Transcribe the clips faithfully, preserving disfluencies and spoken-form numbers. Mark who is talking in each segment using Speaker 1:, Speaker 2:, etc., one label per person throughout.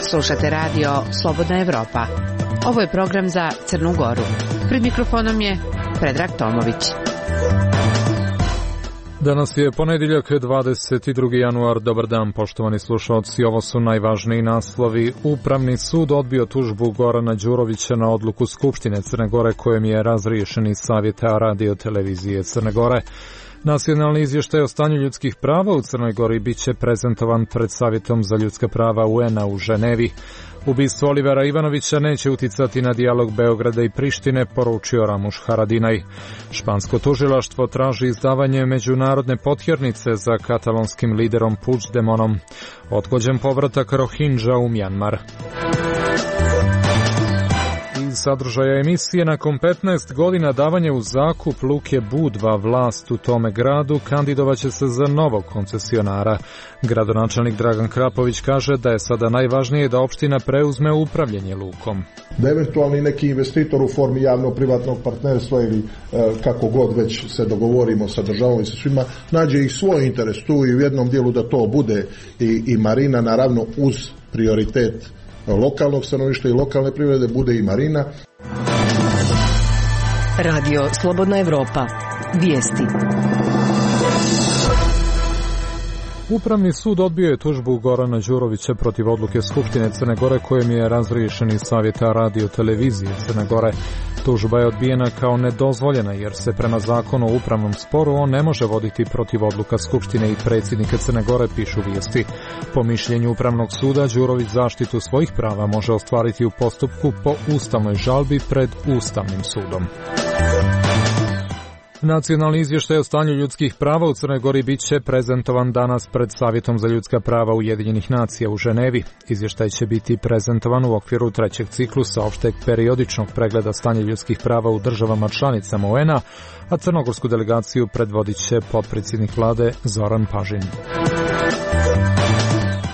Speaker 1: Slušate radio Slobodna Evropa. Ovo je program za Crnu Goru. Pred mikrofonom je Predrag Tomović.
Speaker 2: Danas je ponedjeljak, dvadeset drugi januar. Dobar dan, poštovani slušalci. Ovo su najvažniji naslovi. Upravni sud odbio tužbu Gorana Đurovića na odluku Skupštine Crne Gore kojom je razriješen iz Savjeta radio televizije Crne Gore. Nacionalni izvještaj o stanju ljudskih prava u Crnoj Gori bit će prezentovan pred Savjetom za ljudska prava U N-a u Ženevi. Ubistvo Olivera Ivanovića neće uticati na dijalog Beograda i Prištine, poručio Ramuš Haradinaj. Špansko tužilaštvo traži izdavanje međunarodne potjernice za katalonskim liderom Puigdemonom. Odgođen povratak Rohingya u Mjanmar. Iz sadržaja emisije, nakon petnaest godina davanje u zakup luke Budva, vlast u tome gradu kandidovaće se za novog koncesionara. Gradonačelnik Dragan Krapović kaže da je sada najvažnije da opština preuzme upravljanje lukom.
Speaker 3: Da eventualni neki investitor u formi javno-privatnog partnerstva ili e, kako god već se dogovorimo sa državom i sa svima, nađe i svoj interes tu i u jednom dijelu da to bude i, i marina, naravno uz prioritet lokalnog stanovništva i lokalne privrede bude i marina.
Speaker 4: Radio Slobodna Evropa. Vijesti.
Speaker 2: Upravni sud odbio je tužbu Gorana Đurovića protiv odluke Skupštine Crne Gore kojom je razriješen iz Savjeta radio televizije Crne Gore. Tužba je odbijena kao nedozvoljena jer se prema zakonu o upravnom sporu on ne može voditi protiv odluka Skupštine i predsjednika Crne Gore, pišu vijesti. Po mišljenju Upravnog suda, Đurović zaštitu svojih prava može ostvariti u postupku po ustavnoj žalbi pred Ustavnim sudom. Nacionalni izvještaj o stanju ljudskih prava u Crnoj Gori bit će prezentovan danas pred Savjetom za ljudska prava Ujedinjenih nacija u Ženevi. Izvještaj će biti prezentovan u okviru trećeg ciklusa opšteg periodičnog pregleda stanja ljudskih prava u državama članicama U N-a, a crnogorsku delegaciju predvodit će potpredsjednik vlade Zoran Pažin.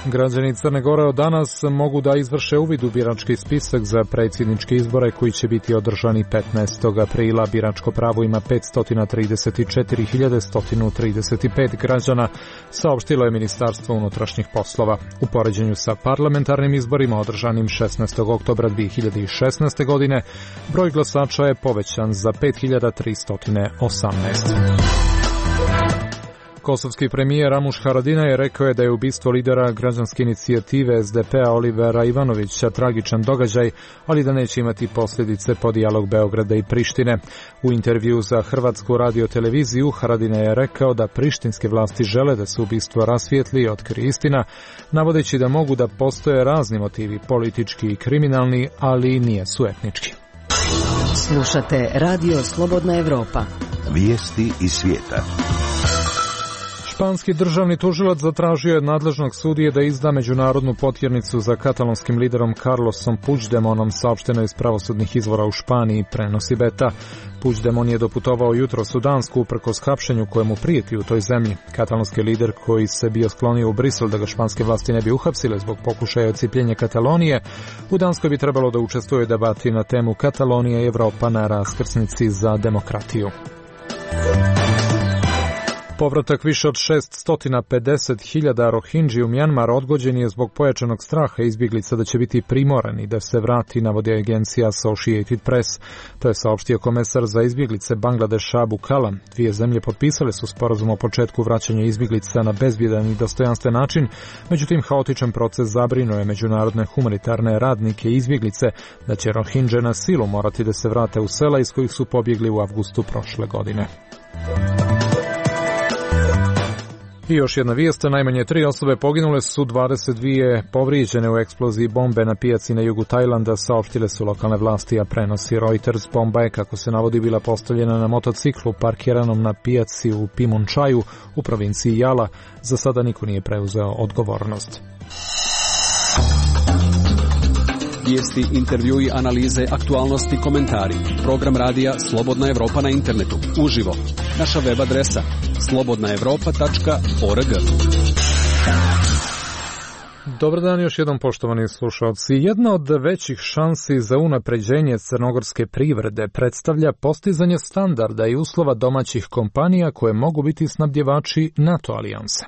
Speaker 2: Građani Crne Gore od danas mogu da izvrše uvid u birački spisak za predsjedničke izbore koji će biti održani petnaestog aprila. Biračko pravo ima petsto trideset četiri hiljade sto trideset pet građana, saopštilo je Ministarstvo unutrašnjih poslova. U poređenju sa parlamentarnim izborima održanim šesnaestog oktobra dve hiljade šesnaeste. godine, broj glasača je povećan za pet hiljada tristo osamnaest. Kosovski premijer Ramuš Haradinaj je rekao je da je ubistvo lidera građanske inicijative S D P-a Olivera Ivanovića tragičan događaj, ali da neće imati posljedice po dijalog Beograda i Prištine. U intervju za Hrvatsku radio televiziju Haradinaj je rekao da prištinske vlasti žele da se ubistvo rasvijetli i otkrije istina, navodeći da mogu da postoje razni motivi, politički i kriminalni, ali nije su etnički.
Speaker 4: Slušate Radio Slobodna Evropa.
Speaker 5: Vijesti iz svijeta.
Speaker 2: Španski državni tužilac zatražio je od nadležnog sudije da izda međunarodnu potjernicu za katalonskim liderom Carlosom Puigdemonom, saopšteno iz pravosudnih izvora u Španiji, prenosi Beta. Puigdemon je doputovao jutros u Dansku uprkos hapšenju kojemu prijeti u toj zemlji. Katalonski lider koji se bio sklonio u Brisel da ga španske vlasti ne bi uhapsile zbog pokušaja odcijepljenja Katalonije, u Danskoj bi trebalo da učestvuje u debati na temu Katalonija i Evropa na raskrsnici za demokratiju. Povratak više od šeststo pedeset hiljada Rohingya u Mjanmar odgođen je zbog pojačanog straha izbjeglica da će biti primorani da se vrati, navodi agencija Associated Press. To je saopštio komesar za izbjeglice Bangladeša Abu Kala. Dvije zemlje potpisale su sporazum o početku vraćanja izbjeglica na bezbjedan i dostojanstven način, međutim haotičan proces zabrinuo je međunarodne humanitarne radnike i izbjeglice da će Rohingya na silu morati da se vrate u sela iz kojih su pobjegli u avgustu prošle godine. I još jedna vijest, najmanje tri osobe poginule su, dvadeset dvije povrijeđene u eksploziji bombe na pijaci na jugu Tajlanda, saopštile su lokalne vlasti, a prenosi Reuters. Bomba je, kako se navodi, bila postavljena na motociklu parkiranom na pijaci u Pimunčaju u provinciji Jala. Za sada niko nije preuzeo odgovornost.
Speaker 6: Vijesti, intervjui, analize, aktualnosti, komentari. Program radija Slobodna Evropa na internetu. Uživo. Naša web adresa slobodna evropa tačka org.
Speaker 2: Dobar dan još jednom, poštovani slušalci. Jedna od većih šansi za unapređenje crnogorske privrede predstavlja postizanje standarda i uslova domaćih kompanija koje mogu biti snabdjevači NATO alijanse.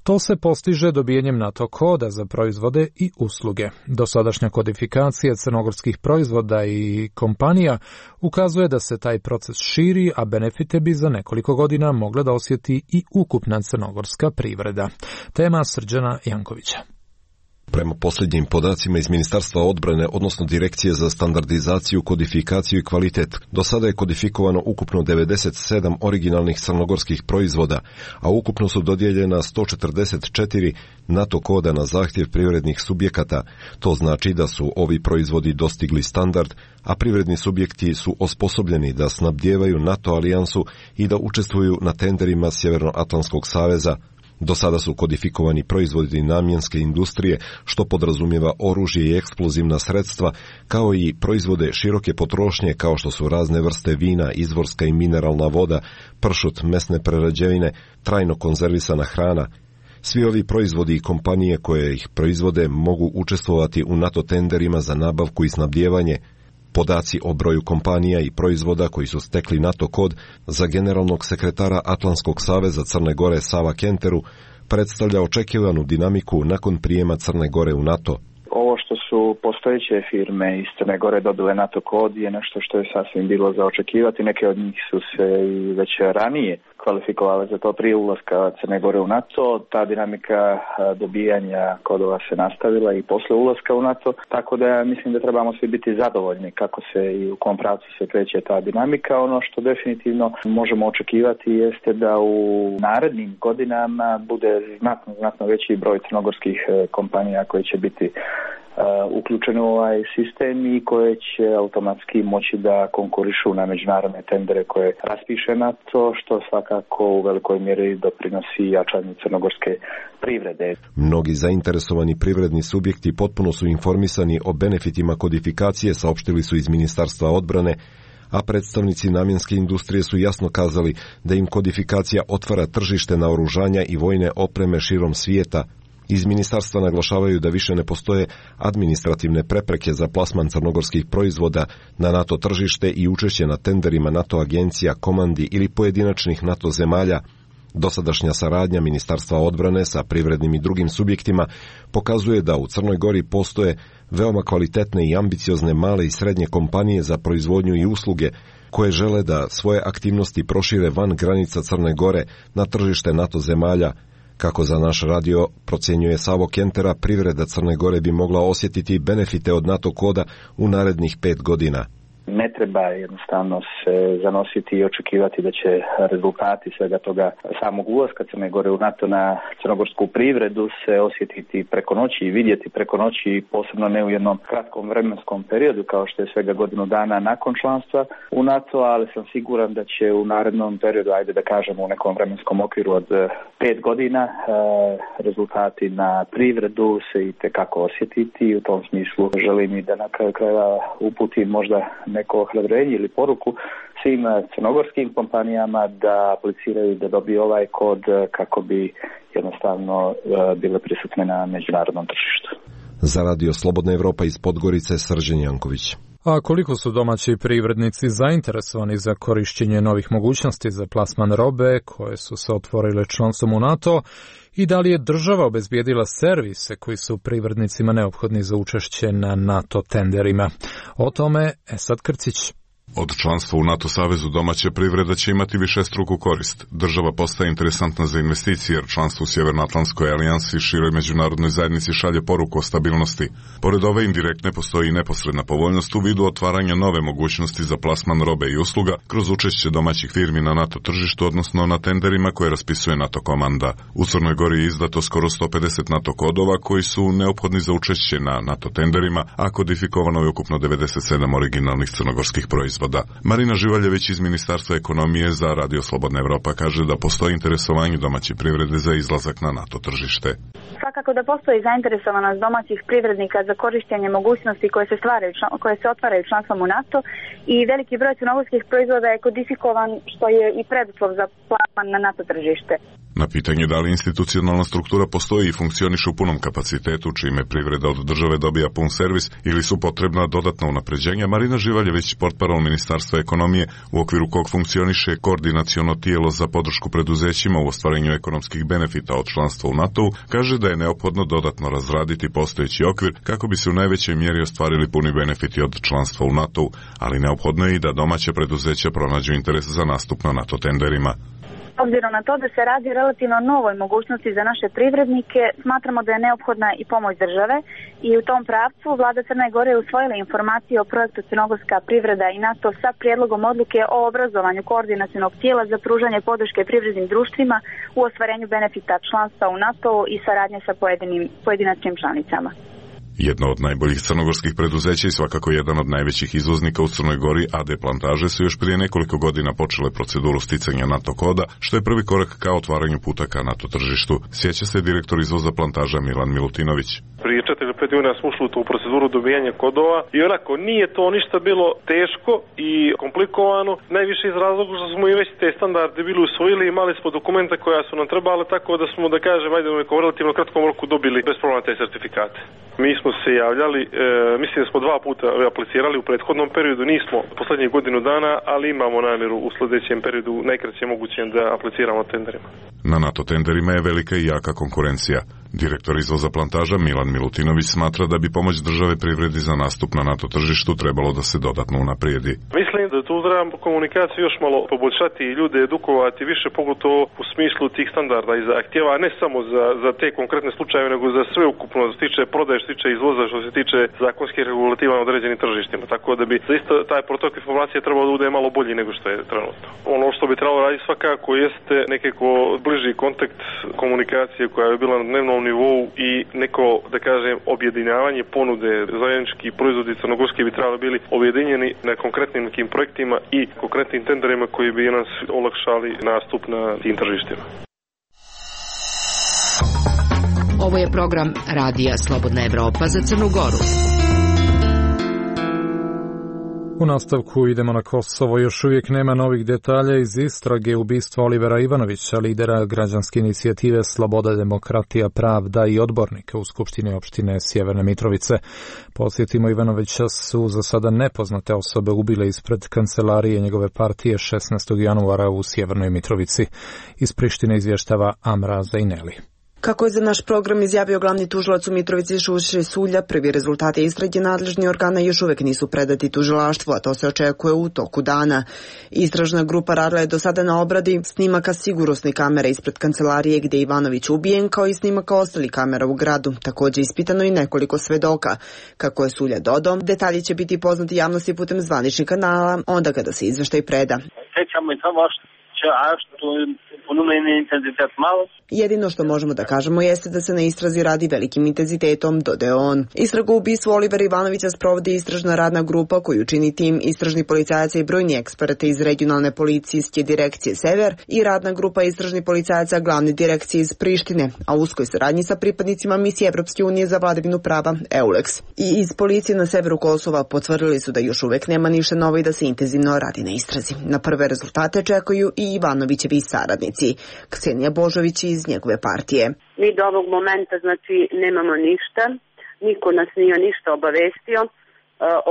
Speaker 2: To se postiže dobijenjem NATO koda za proizvode i usluge. Dosadašnja kodifikacija crnogorskih proizvoda i kompanija ukazuje da se taj proces širi, a benefite bi za nekoliko godina mogla da osjeti i ukupna crnogorska privreda. Tema Srđana Jankovića.
Speaker 7: Prema posljednjim podacima iz Ministarstva odbrane, odnosno Direkcije za standardizaciju, kodifikaciju i kvalitet, do sada je kodifikovano ukupno devedeset sedam originalnih crnogorskih proizvoda, a ukupno su dodijeljena sto četrdeset četiri NATO koda na zahtjev privrednih subjekata. To znači da su ovi proizvodi dostigli standard, a privredni subjekti su osposobljeni da snabdijevaju NATO alijansu i da učestvuju na tenderima Sjevernoatlantskog saveza. Do sada su kodifikovani proizvodi namjenske industrije, što podrazumijeva oružje i eksplozivna sredstva, kao i proizvode široke potrošnje kao što su razne vrste vina, izvorska i mineralna voda, pršut, mesne prerađevine, trajno konzervisana hrana. Svi ovi proizvodi i kompanije koje ih proizvode mogu učestvovati u NATO tenderima za nabavku i snabdijevanje. Podaci o broju kompanija i proizvoda koji su stekli NATO kod za generalnog sekretara Atlantskog saveza Crne Gore Sava Kenteru predstavlja očekivanu dinamiku nakon prijema Crne Gore u NATO.
Speaker 8: Ovo što su postojeće firme iz Crne Gore dobile NATO kod je nešto što je sasvim bilo za očekivati. Neke od njih su se i već ranije kvalifikovale za to prije ulaska Crne Gore u NATO. Ta dinamika dobijanja kodova se nastavila i posle ulaska u NATO, tako da mislim da trebamo svi biti zadovoljni kako se i u kom pravcu se kreće ta dinamika. Ono što definitivno možemo očekivati jeste da u narednim godinama bude znatno, znatno veći broj crnogorskih kompanija koji će biti Uh, uključeni u ovaj sistem i koje će automatski moći da konkurišu na međunarodne tendere koje raspiše NATO, što svakako u velikoj mjeri doprinosi jačanju crnogorske privrede.
Speaker 7: Mnogi zainteresovani privredni subjekti potpuno su informisani o benefitima kodifikacije, saopštili su iz Ministarstva odbrane, a predstavnici namjenske industrije su jasno kazali da im kodifikacija otvara tržište naoružanja i vojne opreme širom svijeta. Iz ministarstva naglašavaju da više ne postoje administrativne prepreke za plasman crnogorskih proizvoda na NATO tržište i učešće na tenderima NATO agencija, komandi ili pojedinačnih NATO zemalja. Dosadašnja saradnja Ministarstva odbrane sa privrednim i drugim subjektima pokazuje da u Crnoj Gori postoje veoma kvalitetne i ambiciozne male i srednje kompanije za proizvodnju i usluge koje žele da svoje aktivnosti prošire van granica Crne Gore na tržište NATO zemalja. Kako za naš radio procjenjuje Savo Kentera, privreda Crne Gore bi mogla osjetiti benefite od NATO koda u narednih pet godina.
Speaker 8: Ne treba jednostavno se zanositi i očekivati da će rezultati svega toga samog ulaska Crne Gore u NATO na crnogorsku privredu se osjetiti preko noći i vidjeti preko noći, posebno ne u jednom kratkom vremenskom periodu kao što je svega godinu dana nakon članstva u NATO, ali sam siguran da će u narednom periodu, ajde da kažemo u nekom vremenskom okviru od pet godina, rezultati na privredu se itekako osjetiti i u tom smislu želim i da na kraju krajeva uputim možda neko ohrabrenje ili poruku svim crnogorskim kompanijama da apliciraju da dobiju ovaj kod kako bi jednostavno bile prisutne na međunarodnom tržištu.
Speaker 7: Za radio Slobodna Evropa iz Podgorice, Srđan Janković.
Speaker 2: A koliko su domaći privrednici zainteresovani za korišćenje novih mogućnosti za plasman robe koje su se otvorile članstvom u NATO i da li je država obezbijedila servise koji su privrednicima neophodni za učešće na NATO tenderima? O tome Esad Krcić.
Speaker 9: Od članstva u NATO savezu domaća privreda će imati višestruku korist. Država postaje interesantna za investicije jer članstvo u Sjevernoatlantskoj alijansi široj međunarodnoj zajednici šalje poruku o stabilnosti. Pored ove indirektne postoji i neposredna povoljnost u vidu otvaranja nove mogućnosti za plasman robe i usluga kroz učešće domaćih firmi na NATO tržištu, odnosno na tenderima koje raspisuje NATO komanda. U Crnoj Gori je izdato skoro sto pedeset NATO kodova koji su neophodni za učešće na NATO tenderima, a kodifikovano je ukupno devedeset sedam originalnih crnogorskih proizvoda. proizvoda. Marina Živaljević iz Ministarstva ekonomije za Radio Slobodna Evropa kaže da postoji interesovanje domaće privrede za izlazak na NATO tržište.
Speaker 10: Svakako da postoji zainteresovanost domaćih privrednika za korištenje mogućnosti koje se stvaraju, koje se otvaraju članstvom u NATO i veliki broj crnogorskih proizvoda je kodifikovan, što je i preduslov za plasman na NATO tržište.
Speaker 9: Na pitanje da li institucionalna struktura postoji i funkcioniše u punom kapacitetu, čime privreda od države dobija pun servis ili su potrebna dodatna unapređenja, Marina Živaljević, portparol Ministarstva ekonomije, u okviru kog funkcioniše koordinaciono tijelo za podršku preduzećima u ostvarenju ekonomskih benefita od članstva u NATO-u, kaže da je neophodno dodatno razraditi postojeći okvir kako bi se u najvećoj mjeri ostvarili puni benefiti od članstva u NATO-u, ali neophodno je i da domaće preduzeća pronađu interes za nastup na NATO tenderima.
Speaker 10: Obzirom na to da se radi o relativno novoj mogućnosti za naše privrednike, smatramo da je neophodna i pomoć države i u tom pravcu vlada Crne Gore je usvojila informacije o projektu Crnogorska privreda i NATO sa prijedlogom odluke o obrazovanju koordinacionog tijela za pružanje podrške privrednim društvima u ostvarenju benefita članstva u NATO i saradnje sa pojedinim pojedinačnim članicama.
Speaker 9: Jedno od najboljih crnogorskih preduzeća i svakako jedan od najvećih izvoznika u Crnoj Gori, A D Plantaže, su još prije nekoliko godina počele proceduru sticanja NATO koda, što je prvi korak ka otvaranju puta ka NATO tržištu. Sjeća se direktor izvoza Plantaža Milan Milutinović.
Speaker 11: Prije četiri ili pet godina smo ušli u tu proceduru dobijanja kodova i onako nije to ništa bilo teško i komplikovano, najviše iz razloga što smo i već te standarde bili usvojili i imali smo dokumenta koja su nam trebali, tako da smo, da kažem, ajde u nekom relativno kratkom roku dobili bez problema te sertifikate. Mi smo se javljali, e, mislim da smo dva puta aplicirali u prethodnom periodu, nismo poslednjih godinu dana, ali imamo namjeru u sljedećem periodu najkraće mogućem da apliciramo tenderima.
Speaker 9: Na NATO tenderima je velika i jaka konkurencija. Direktor izvoza Plantaža Milan Milutinović smatra da bi pomoć države privredi za nastup na NATO tržištu trebalo da se dodatno unaprijedi.
Speaker 11: Mislim da tu treba komunikaciju još malo poboljšati i ljude edukovati više, pogotovo u smislu tih standarda i zahtjeva, ne samo za, za te konkretne slučajeve, nego za sve ukupno, što se tiče prodaje, što se tiče izvoza, što se tiče zakonskih regulativa na određenim tržištima. Tako da bi zaista taj protok informacije trebalo da bude malo bolji nego što je trenutno. Ono što bi trebalo raditi svakako jeste nekako bliži kontakt komunikacije koja je bila na dnevnom nivou i neko, da kažem, objedinjavanje ponude. Zajednički proizvodi crnogorski bi trebali bili objedinjeni na konkretnim nekim projektima i konkretnim tenderima koji bi nas olakšali nastup na tim tržištima.
Speaker 1: Ovo je program Radija Slobodna Evropa za Crnu Goru.
Speaker 2: U nastavku idemo na Kosovo. Još uvijek nema novih detalja iz istrage ubistva Olivera Ivanovića, lidera građanske inicijative Sloboda, demokratija, pravda i odbornika u Skupštini opštine Sjeverne Mitrovice. Podsjetimo, Ivanovića su za sada nepoznate osobe ubile ispred kancelarije njegove partije šesnaestog januara u Sjevernoj Mitrovici. Iz Prištine izvještava Amra Zajneli.
Speaker 12: Kako je za naš program izjavio glavni tužilac u Mitrovici Šuše Sulja, prvi rezultati istrage nadležni organa još uvijek nisu predati tužilaštvu, a to se očekuje u toku dana. Istražna grupa radila je do sada na obradi snimaka sigurnosne kamere ispred kancelarije gdje je Ivanović ubijen, kao i snimaka ostalih kamera u gradu. Također ispitano i nekoliko svedoka. Kako je Sulja dodao, detalji će biti poznati javnosti putem zvaničnih kanala, onda kada se izveštaj preda. Jedino što možemo da kažemo jeste da se na istrazi radi velikim intenzitetom, dodao on. Istragu u ubistvu Olivera Ivanovića sprovodi istražna radna grupa koju čini tim istražnih policajaca i brojni eksperti iz regionalne policijske direkcije Sever i radna grupa istražnih policajaca glavne direkcije iz Prištine, a u uskoj saradnji sa pripadnicima misije Evropske unije za vladavinu prava EULEX. I iz policije na severu Kosova potvrdili su da još uvijek nema ništa novo i da se intenzivno radi na istrazi. Na prve rezultate čekaju i Ivanovićevi saradnici. Ksenija Božović iz njegove partije.
Speaker 13: Mi do ovog momenta znači nemamo ništa, niko nas nije ništa obavestio, e,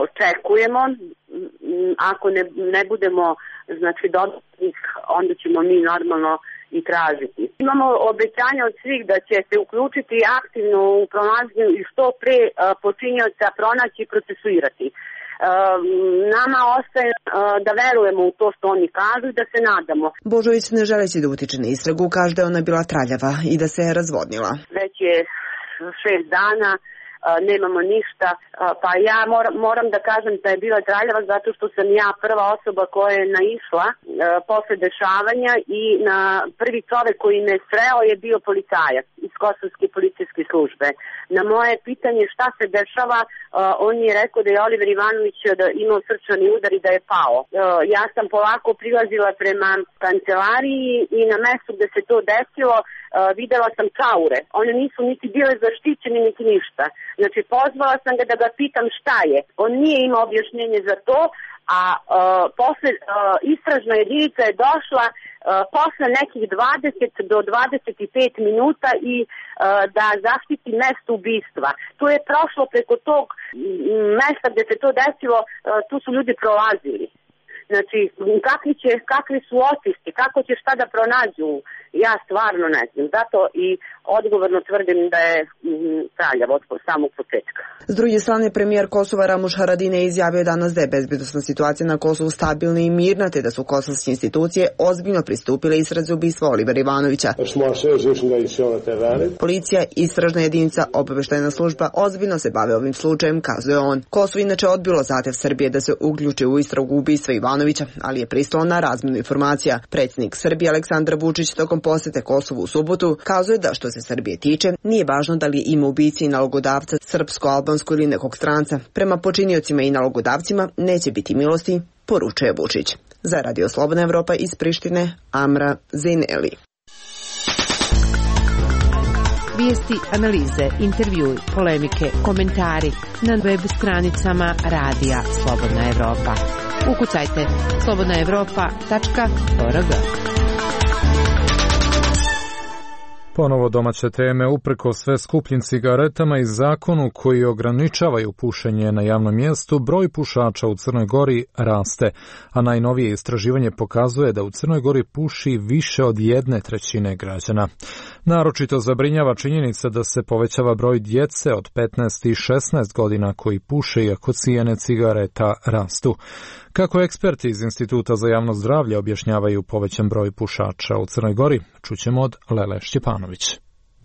Speaker 13: očekujemo, ako ne, ne budemo znači dodatnih, onda ćemo mi normalno i tražiti. Imamo obećanja od svih da će se uključiti aktivno u pronalaženju i što pre e, počinioca pronaći i procesuirati. Uh, nama ostaje uh, da verujemo u to što oni kažu i da se nadamo.
Speaker 12: Božović, ne želeći da utiče na istragu, kaže da ona bila traljava i da se je razvodnila.
Speaker 13: Već je šest dana, nemamo ništa. Pa ja moram, moram da kažem da je bila traljava zato što sam ja prva osoba koja je naišla posle dešavanja i na prvi čovek koji me sreo je bio policajac iz Kosovske policijske službe. Na moje pitanje šta se dešava, on je rekao da je Oliver Ivanović da imao srčani udar i da je pao. Ja sam polako prilazila prema kancelariji i na mestu gde se to desilo videla sam čaure. One nisu niti bile zaštićene niti ništa. Znači pozvala sam ga da ga pitam šta je. On nije imao objašnjenje za to, a uh, posle uh, istražna jedinica je došla uh, posle nekih dvadeset do dvadeset pet minuta i uh, da zaštiti mesto ubistva. To je prošlo preko tog mesta gde se to desilo, uh, tu su ljudi prolazili. Znači, kakvi, će, kakvi su otisci, kako će šta da pronađu, ja stvarno ne znam. Zato i odgovorno tvrdim da je traljav od samog početka.
Speaker 12: S druge strane, premijer Kosova Ramuš Haradinaj izjavio danas da je bezbednosna situacija na Kosovu stabilna i mirna, te da su kosovske institucije ozbiljno pristupile istrazi ubistva Olivera Ivanovića. Policija, istražna jedinica, obaveštajna služba ozbiljno se bave ovim slučajem, kazuje on. Kosovo inače odbilo zahtev Srbije da se uključi u istragu ubistva Ivanovića, ali je pristalo na razmjenu informacija. Predsjednik Srbije Aleksandar Vučić tokom posete Kosovu u subotu kazuje da što se Srbije tiče, nije važno da li ima ubici i nalogodavca srpsko, albansko ili nekog stranca. Prema počiniocima i nalogodavcima neće biti milosti, poručuje Vučić. Za Radio Slobodna Evropa iz Prištine, Amra Zineli.
Speaker 1: Vijesti, analize, intervjui, polemike, komentari na web stranicama Radija Slobodna Evropa. Ukucajte slobodna evropa tačka org.
Speaker 2: Ponovo domaće teme, upreko sve skupljim cigaretama i zakonu koji ograničavaju pušenje na javnom mjestu, broj pušača u Crnoj Gori raste, a najnovije istraživanje pokazuje da u Crnoj Gori puši više od jedne trećine građana. Naročito zabrinjava činjenica da se povećava broj djece od petnaest i šesnaest godina koji puše iako cijene cigareta rastu. Kako eksperti iz Instituta za javno zdravlje objašnjavaju povećan broj pušača u Crnoj Gori, čućemo od Lele Šćepanović.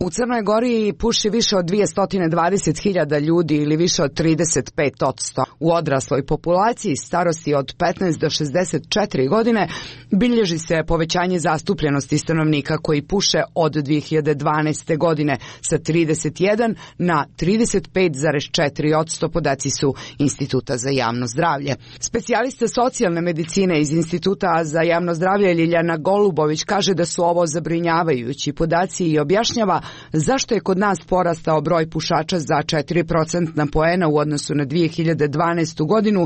Speaker 14: U Crnoj Gori puši više od dvjesto dvadeset hiljada ljudi ili više od trideset pet posto. U odrasloj populaciji starosti od petnaest do šezdeset četiri godine bilježi se povećanje zastupljenosti stanovnika koji puše od dvije hiljade dvanaeste. godine sa trideset jedan na trideset pet zarez četiri posto, podaci su Instituta za javno zdravlje. Specijalista socijalne medicine iz Instituta za javno zdravlje Ljiljana Golubović kaže da su ovo zabrinjavajući podaci i objašnjava zašto je kod nas porastao broj pušača za četiri procentna poena u odnosu na dvije hiljade dvanaestu. godinu,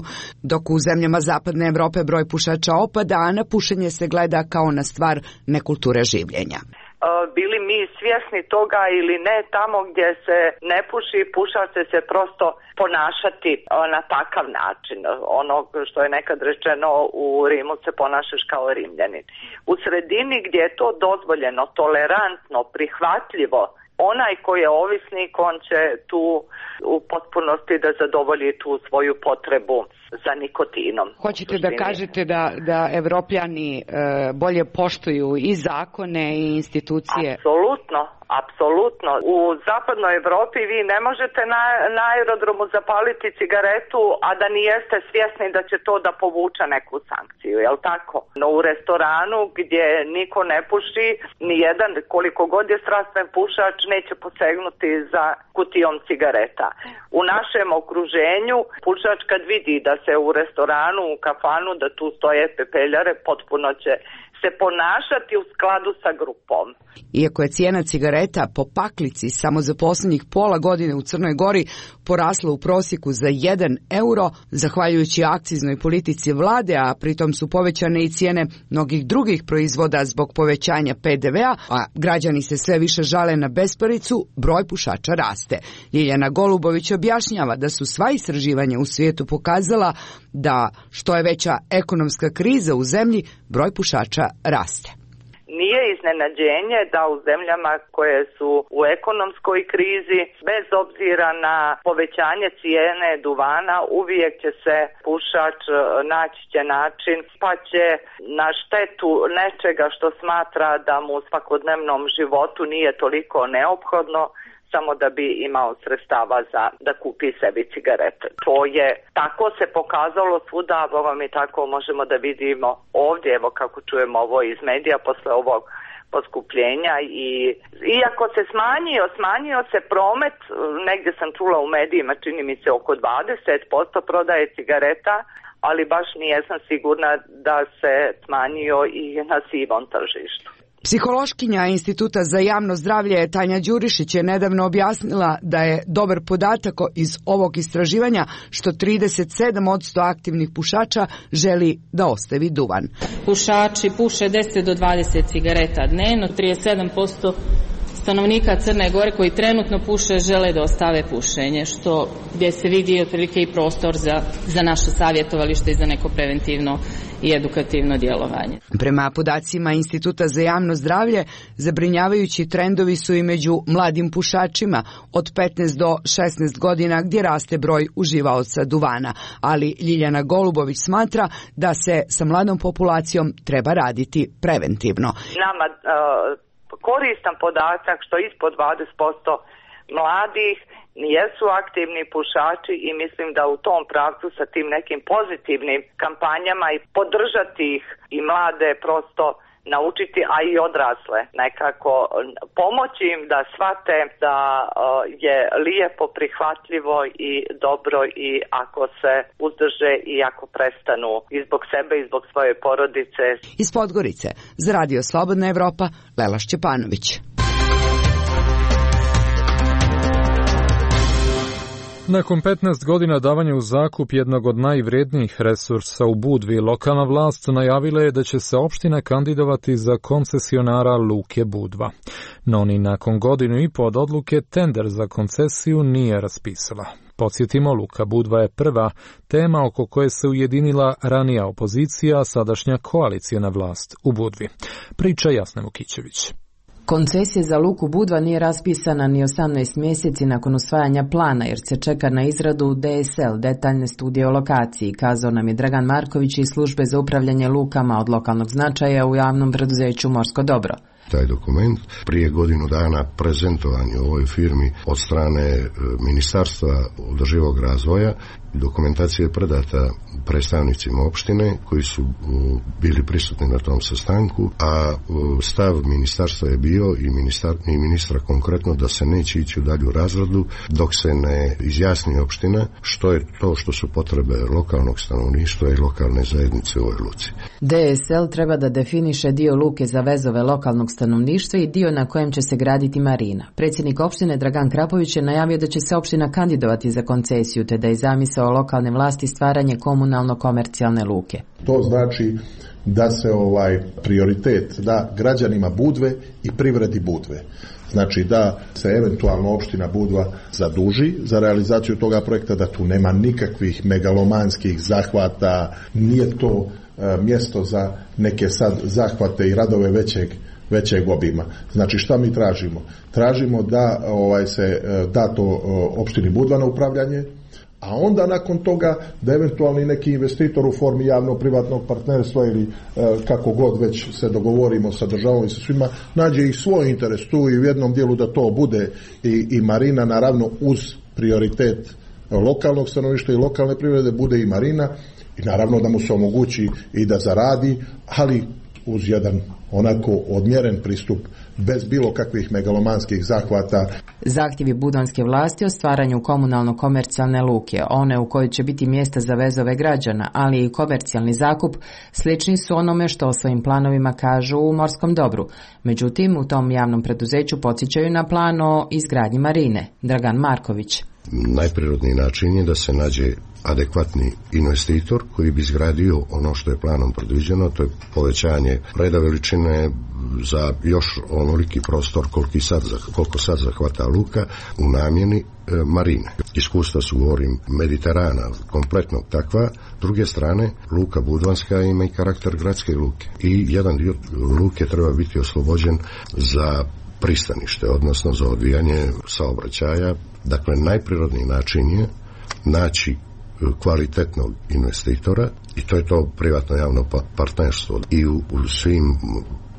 Speaker 14: dok u zemljama zapadne Evrope broj pušača opada, a na pušenje se gleda kao na stvar nekulture življenja.
Speaker 15: Bili mi svjesni toga ili ne, tamo gdje se ne puši, pušač će se prosto ponašati na takav način. Ono što je nekad rečeno, u Rimu se ponašaš kao Rimljanin. U sredini gdje je to dozvoljeno, tolerantno, prihvatljivo, onaj koji je ovisnik, on će tu u potpunosti da zadovolji tu svoju potrebu za nikotinom.
Speaker 14: Hoćete da kažete da, da Evropljani e, bolje poštuju i zakone i institucije?
Speaker 15: Apsolutno, apsolutno. U zapadnoj Evropi vi ne možete na, na aerodromu zapaliti cigaretu, a da nijeste svjesni da će to da povuče neku sankciju, jel tako? No u restoranu gdje niko ne puši, nijedan, koliko god je strastven pušač, neće posegnuti za kutijom cigareta. U našem okruženju pušač kad vidi da se u restoranu, u kafanu, da tu stoje pepeljare, potpuno će se ponašati u skladu sa grupom.
Speaker 14: Iako je cijena cigareta po paklici samo za posljednjih pola godine u Crnoj Gori porasla u prosjeku za jedan euro, zahvaljujući akciznoj politici vlade, a pritom su povećane i cijene mnogih drugih proizvoda zbog povećanja pe de vea, a građani se sve više žale na besparicu, broj pušača raste. Ljiljana Golubović objašnjava da su sva istraživanja u svijetu pokazala da što je veća ekonomska kriza u zemlji, broj pušača raste.
Speaker 15: Nije iznenađenje da u zemljama koje su u ekonomskoj krizi, bez obzira na povećanje cijene duvana, uvijek će se pušač naći će način, pa će na štetu nečega što smatra da mu u svakodnevnom životu nije toliko neophodno, samo da bi imao sredstava za da kupi sebi cigarete. To je, tako se pokazalo svuda, vam i tako možemo da vidimo ovdje, evo kako čujemo ovo iz medija posle ovog poskupljenja i iako se smanjio, smanjio se promet, negdje sam čula u medijima, čini mi se oko dvadeset posto prodaje cigareta, ali baš nijesam sigurna da se smanjio i na sivom tržištu.
Speaker 14: Psihološkinja Instituta za javno zdravlje Tanja Đurišić je nedavno objasnila da je dobar podatak iz ovog istraživanja što trideset sedam posto aktivnih pušača želi da ostavi duvan.
Speaker 16: Pušači puše deset do dvadeset cigareta dnevno, trideset sedam posto stanovnika Crne Gore koji trenutno puše žele da ostave pušenje, što gdje se vidi otprilike i prostor za, za naše savjetovalište i za neko preventivno i edukativno djelovanje.
Speaker 14: Prema podacima Instituta za javno zdravlje, zabrinjavajući trendovi su i među mladim pušačima od petnaest do šesnaest godina gdje raste broj uživaoca duvana, ali Ljiljana Golubović smatra da se sa mladom populacijom treba raditi preventivno.
Speaker 15: Nama uh... koristan podatak što ispod dvadeset posto mladih jesu aktivni pušači i mislim da u tom pravcu sa tim nekim pozitivnim kampanjama i podržati ih i mlade prosto naučiti, a i odrasle nekako pomoći im da shvate da je lijepo, prihvatljivo i dobro i ako se uzdrže i ako prestanu i zbog sebe i zbog svoje porodice.
Speaker 14: Iz Podgorice za Radio Slobodna Evropa, Lela Šćepanović.
Speaker 2: Nakon petnaest godina davanja u zakup jednog od najvrednijih resursa u Budvi, lokalna vlast najavila je da će se opština kandidovati za koncesionara Luke Budva. No ni nakon godinu i po od odluke tender za koncesiju nije raspisala. Podsjetimo, Luka Budva je prva tema oko koje se ujedinila ranija opozicija, a sadašnja koalicijna vlast u Budvi. Priča Jasna Vukićević.
Speaker 17: Koncesija za Luku Budva nije raspisana ni osamnaest mjeseci nakon usvajanja plana jer se čeka na izradu D S L, detaljne studije o lokaciji, kazao nam je Dragan Marković iz službe za upravljanje lukama od lokalnog značaja u javnom preduzeću Morsko dobro.
Speaker 18: Taj dokument prije godinu dana prezentovan je u ovoj firmi od strane Ministarstva održivog razvoja. Dokumentacija je predata predstavnicima opštine koji su bili prisutni na tom sastanku, a stav ministarstva je bio i, ministar, i ministra konkretno da se neće ići u dalju razradu dok se ne izjasni opština što je to što su potrebe lokalnog stanovništva i lokalne zajednice u ovoj luci.
Speaker 17: D S L treba da definiše dio luke za vezove lokalnog stanovništva i dio na kojem će se graditi marina. Predsjednik opštine Dragan Krapović je najavio da će se opština kandidovati za koncesiju te da je zamisao lokalne vlasti stvaranje komunalno-komercijalne luke.
Speaker 3: To znači da se ovaj prioritet da građanima Budve i privredi Budve. Znači da se eventualno opština Budva zaduži za realizaciju toga projekta, da tu nema nikakvih megalomanskih zahvata, nije to e, mjesto za neke sad zahvate i radove većeg većeg obima. Znači šta mi tražimo? Tražimo da ovaj se da to opštini Budva na upravljanje, a onda nakon toga da eventualni neki investitor u formi javno-privatnog partnerstva ili e, kako god već se dogovorimo sa državom i sa svima, nađe i svoj interes tu i u jednom dijelu da to bude i, i marina, naravno uz prioritet lokalnog stanovništva i lokalne privrede bude i marina i naravno da mu se omogući i da zaradi, ali uz jedan onako odmjeren pristup bez bilo kakvih megalomanskih zahvata.
Speaker 17: Zahtjevi budvanske vlasti o stvaranju komunalno-komercijalne luke, one u kojoj će biti mjesta za vezove građana, ali i komercijalni zakup, slični su onome što o svojim planovima kažu u Morskom dobru. Međutim, u tom javnom preduzeću podsjećaju na plan o izgradnji marine. Dragan Marković.
Speaker 18: Najprirodniji način je da se nađe adekvatni investitor koji bi izgradio ono što je planom predviđeno, to je povećanje reda veličine za još onoliki prostor koliko sad, koliko sad zahvata luka u namjeni e, marine. Iskustva su, govorim, Mediterana, kompletnog takva. S druge strane, luka Budvanska ima i karakter gradske luke i jedan dio luke treba biti oslobođen za pristanište, odnosno za odvijanje saobraćaja. Dakle, najprirodniji način je naći kvalitetnog investitora i to je to privatno javno partnerstvo. I u, u svim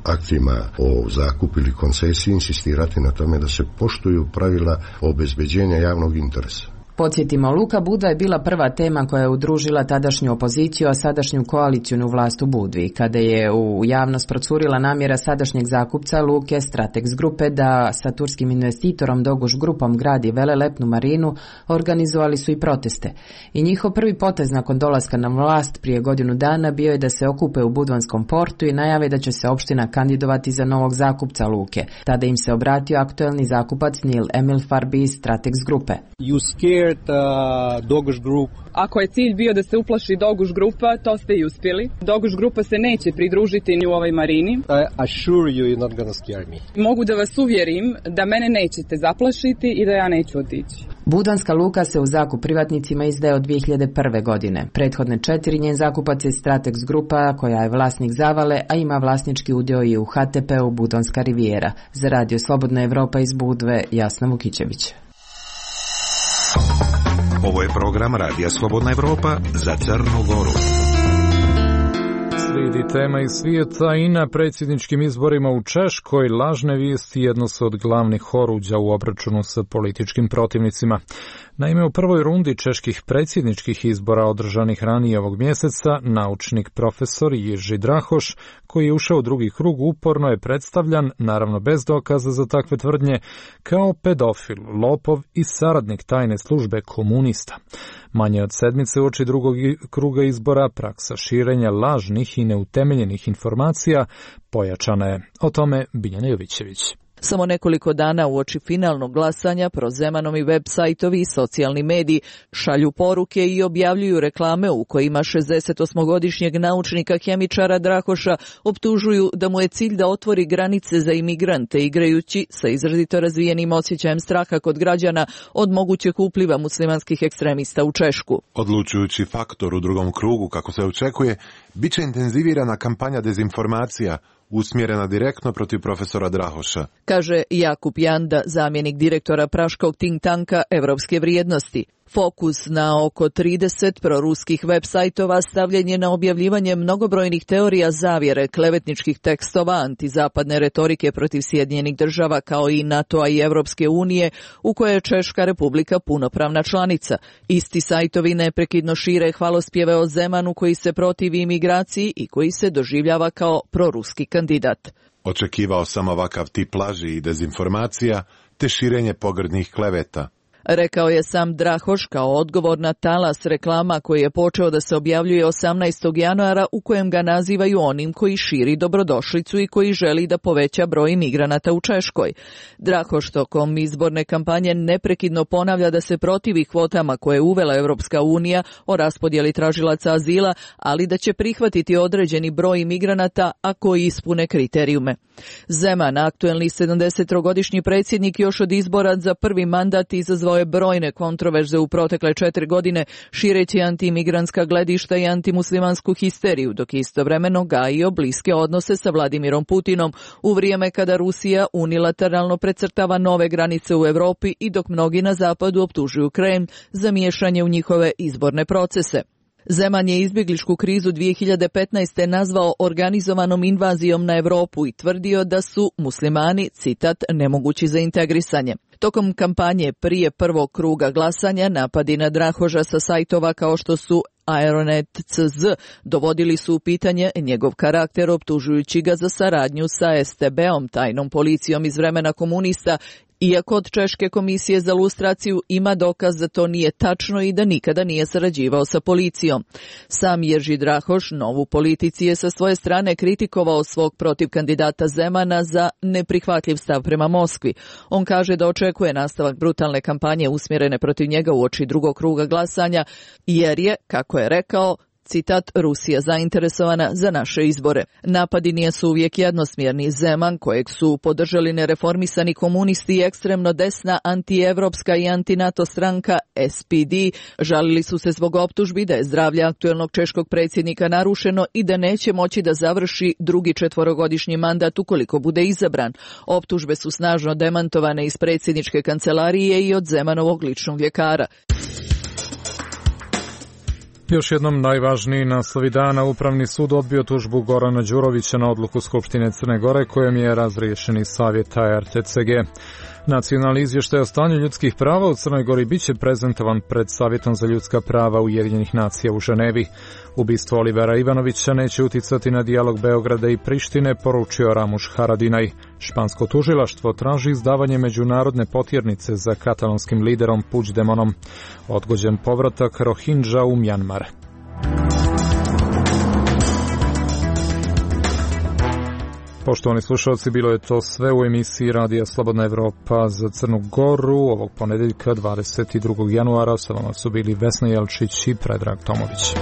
Speaker 18: aktima o zakupu ili koncesiji insistirati na tome da se poštuju pravila obezbeđenja javnog interesa.
Speaker 17: Podsjetimo, Luka Budva je bila prva tema koja je udružila tadašnju opoziciju, a sadašnju koalicijnu vlast u Budvi, kada je u javnost procurila namjera sadašnjeg zakupca Luke Stratex grupe da sa turskim investitorom Doguš grupom gradi velelepnu marinu, organizovali su i proteste. I njihov prvi potez nakon dolaska na vlast prije godinu dana bio je da se okupe u Budvanskom portu i najave da će se opština kandidovati za novog zakupca Luke. Tada im se obratio aktuelni zakupac Nil Emil Farbi iz Stratex grupe.
Speaker 19: You scared uh, Doguš Group.
Speaker 20: Ako je cilj bio da se uplaši Doguš grupa, to ste i uspjeli. Doguš grupa se neće pridružiti ni u ovoj marini.
Speaker 19: I assure you you're not gonna scare me.
Speaker 20: Mogu da vas uvjerim da mene nećete zaplašiti i da ja neću otići.
Speaker 17: Budvanska luka se u zakup privatnicima izdaje od dvije hiljade prve. godine. Prethodne četiri njen zakupac je Stratex grupa koja je vlasnik Zavale, a ima vlasnički udio i u H T P-u Budvanska rivijera. Za Radio Slobodna Evropa iz Budve, Jasna Vukićević.
Speaker 5: Ovo je program Radija Slobodna Evropa za Crnu Goru.
Speaker 2: Slijedi tema iz svijeta i na predsjedničkim izborima u Češkoj lažne vijesti jedno su od glavnih oruđa u obračunu sa političkim protivnicima. Naime, u prvoj rundi čeških predsjedničkih izbora održanih ranije ovog mjeseca, naučnik profesor Jiří Drahoš, koji je ušao u drugi krug, uporno je predstavljan, naravno bez dokaza za takve tvrdnje, kao pedofil, lopov i saradnik tajne službe komunista. Manje od sedmice uoči drugog kruga izbora praksa širenja lažnih i neutemeljenih informacija pojačana je. O tome Biljana Jovićević.
Speaker 21: Samo nekoliko dana uoči finalnog glasanja prozemanovi web sajtovi i socijalni mediji šalju poruke i objavljuju reklame u kojima šezdesetosmogodišnjeg naučnika hemičara Drahoša optužuju da mu je cilj da otvori granice za imigrante igrajući sa izrazito razvijenim osjećajem straha kod građana od mogućeg upliva muslimanskih ekstremista u Češku.
Speaker 22: Odlučujući faktor u drugom krugu, kako se očekuje, bit će intenzivirana kampanja dezinformacija usmjerena direktno protiv profesora Drahoša,
Speaker 21: kaže Jakub Janda, zamjenik direktora praškog think tanka Evropske vrijednosti. Fokus na oko trideset proruskih web sajtova stavljen je na objavljivanje mnogobrojnih teorija zavjere, klevetničkih tekstova, antizapadne retorike protiv Sjedinjenih država kao i NATO-a i Evropske unije, u koje je Češka republika punopravna članica. Isti sajtovi neprekidno šire hvalospjeve o Zemanu koji se protivi imigraciji i koji se doživljava kao proruski kandidat.
Speaker 22: Očekivao sam ovakav tip laži i dezinformacija te širenje pogrdnih kleveta,
Speaker 21: rekao je sam Drahoš kao odgovor na talas reklama koji je počeo da se objavljuje osamnaestog januara u kojem ga nazivaju onim koji širi dobrodošlicu i koji želi da poveća broj imigranata u Češkoj. Drahoš tokom izborne kampanje neprekidno ponavlja da se protivi kvotama koje je uvela Evropska unija o raspodjeli tražilaca azila, ali da će prihvatiti određeni broj imigranata ako ispune kriterijume. Zeman, aktuelni sedamdesettrogodišnji predsjednik, još od izbora za prvi mandat izazvao je brojne kontroverze u protekle četiri godine, šireći antiimigrantska gledišta i antimuslimansku histeriju, dok istovremeno gajio bliske odnose sa Vladimirom Putinom u vrijeme kada Rusija unilateralno precrtava nove granice u Europi i dok mnogi na zapadu optužuju Kremlj za miješanje u njihove izborne procese. Zeman je izbjegličku krizu dvije hiljade petnaeste. nazvao organizovanom invazijom na Europu i tvrdio da su muslimani, citat, nemogući za integrisanje. Tokom kampanje prije prvog kruga glasanja napadi na Drahoša sa sajtova kao što su Aeronet punkt c z dovodili su u pitanje njegov karakter optužujući ga za saradnju sa S T B-om, tajnom policijom iz vremena komunista, iako od Češke komisije za lustraciju ima dokaz da to nije tačno i da nikada nije sarađivao sa policijom. Sam Jiří Drahoš novu politici je sa svoje strane kritikovao svog protiv kandidata Zemana za neprihvatljiv stav prema Moskvi. On kaže da očekuje nastavak brutalne kampanje usmjerene protiv njega uoči drugog kruga glasanja, jer je, kako je rekao, citat, Rusija zainteresovana za naše izbore. Napadi nisu uvijek jednosmjerni. Zeman, kojeg su podržali nereformisani komunisti i ekstremno desna antievropska i antinato stranka S P D, žalili su se zbog optužbi da je zdravlje aktuelnog češkog predsjednika narušeno i da neće moći da završi drugi četvorogodišnji mandat ukoliko bude izabran. Optužbe su snažno demantovane iz predsjedničke kancelarije i od Zemanovog ličnog ljekara.
Speaker 2: Još jednom najvažniji naslovi dana. Upravni sud odbio tužbu Gorana Đurovića na odluku Skupštine Crne Gore kojom je razriješeni savjet R T C G. Nacionalni izvještaj o stanju ljudskih prava u Crnoj Gori biće prezentovan pred Savjetom za ljudska prava Ujedinjenih nacija u Ženevi. Ubistvo Olivera Ivanovića neće uticati na dijalog Beograda i Prištine, poručio Ramuš Haradinaj. Špansko tužilaštvo traži izdavanje međunarodne potjernice za katalonskim liderom Puigdemontom. Odgođen povratak Rohingya u Mjanmar. Poštovani slušalci, bilo je to sve u emisiji Radija Slobodna Evropa za Crnu Goru ovog ponedeljka dvadeset drugog januara. Sa vama su bili Vesna Jelčić i Predrag Tomović.